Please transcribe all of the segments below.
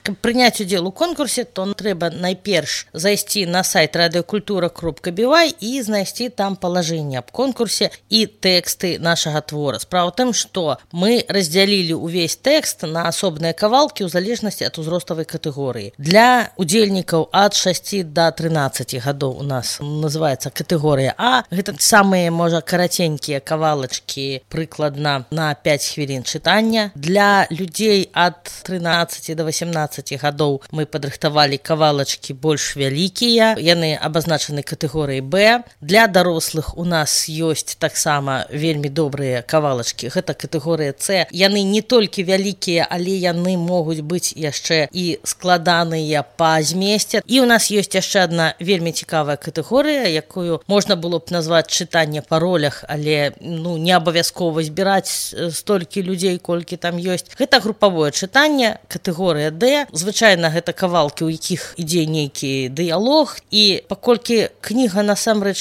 Каб прыняць удзел у конкурсе, то трэба найперш зайсці на сайт радыёкультура.бівай і знайсці там палажэнне аб конкурсе і тэксты нашага твора. Справа ў тым, што мы раздзялілі ўвесь тэкст на асобныя кавалкі ў залежнасці ад узроставай катэгорыі. Для удзельнікаў ад 6 до 13 гадоў у нас называецца катэгорыя А. Гэта самыя, можа, караценькія кавалачкі, прыкладна на 5 хвілін чытання. Для людзей ад 13 до 18 гадоў мы падрыхтавалі кавалачкі больш вялікія. Яны абазначаны катэгорыяй Б. Для дарослых у нас ёсць таксама вельмі добрыя кавалачкі. Гэта катэгорыя С. Яны не толькі вялікія, але яны могуць быць яшчэ і складаныя па змесце. І у нас ёсць яшчэ адна вельмі цікавая катэгорыя, якую можна было б назваць чытанне па ролях, але не абавязкова збіраць столькі людзей, колькі там ёсць. Гэта групавое чытанне, катэгорыя Д. Звычайна гэта кавалкі, у якіх ідзе нейкі дыялог, і паколькі кніга насамрэч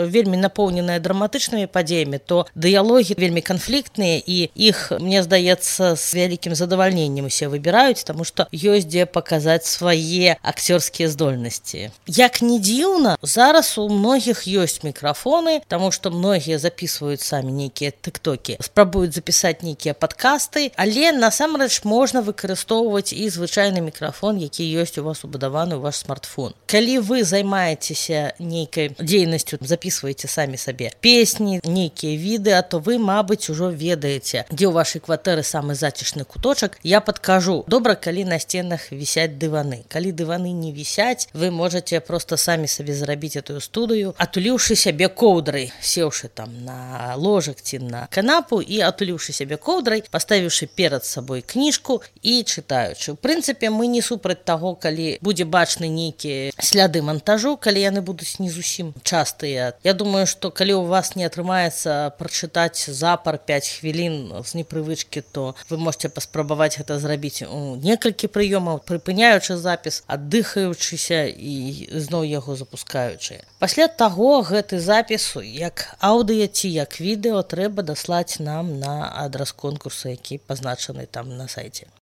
вельмі напоўненая драматычнымі падзеямі, то дыялогі вельмі канфліктныя, і іх, мне здаецца, з вялікім задавальненнем усе выбіраюць, таму што ёсць дзе паказаць свае акцёрскія здольнасці. Як не дзіўна, зараз у многіх ёсць мікрафоны, таму што многія записываюць самі нейкія тыктокі, спрабуюць запісаць нейкія падкасты, але насамрэч можна выкарыстоўваць і звычайны мікрафон, які ёсць у вас убудаваны ў ваш смартфон. Калі вы займаецеся нейкай дзейнасцю, записываеце самі сабе песні, нейкія відэа, то вы, мабыць, ужо ведаеце, дзе ў вашай кватэры самы зацішны куточак. Я падкажу, добра, калі на сценах вісяць дываны. Калі дываны не вісяць, вы можаце проста самі сабе зрабіць эту студыю, атуліўшы сябе коўдрай, сеўшы там на ложак ці на канапу і атуліўшы сябе коўдрай, паставіўшы перад сабой кніжку і чытаючы. У прынцыпе, мы не супраць таго, калі будзе бачны нейкія сляды монтажу, калі яны будуць не зусім частыя. Я думаю, што калі у вас не атрымаецца прачытаць запар 5 хвілін з непрывычкі, то вы можете паспрабаваць гэта зрабіць у некалькі прыёмаў, прыпыняючы запіс, аддыхаючыся і зноў яго запускаючы. Пасля таго гэты запіс, як аўдыё ці як відэо, трэба даслаць нам на адрас конкурса, які пазначаны там на сайце.